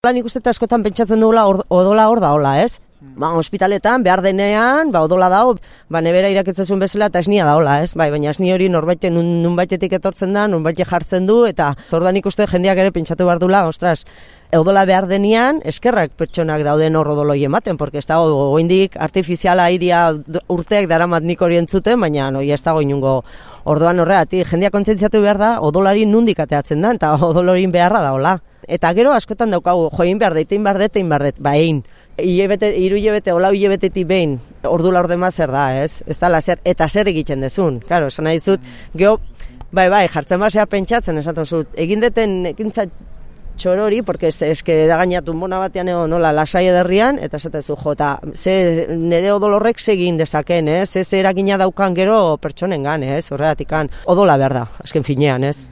Nik uste askotan pentsatzen dugula odola hor da hola, ez? Ospitaletan, behar denean, odola dago, nebera iraketzezun bezala eta esnia da hola, ez? Baina esni hori norbaite nunbaitetik etortzen da, nunbaite jartzen du, eta orduan ikuste jendeak ere pentsatu behar dula, ostras, odola behar denean, eskerrak pertsonak dauden hor odoloi ematen, porque ez dago goindik artifiziala idia urteak daramat nik hori entzuten, baina ez dago inungo orduan horregatik, jendeak kontzentziatu behar da, odolari nundik ateatzen da, eta odolorin beharra da hola. Eta gero askotan daukagu, join behar dut, egin. Hiru hilabete, hola hilabetetik behin, ordu laur dema zer da, ez? Ez da zer, eta zer egiten dezun. Claro, esan nahi dizut, geho, jartzen basea pentsatzen, esaten zut, egin deten ekintza txorori, porque eske da gainatu mona batean nola lasai ederrian, eta esaten zu, jota, nire odolorrek segin dezaken, ez? Ez eragina daukan gero pertsonengan, ez? Horregatikan, odola behar da, azken finean, ez?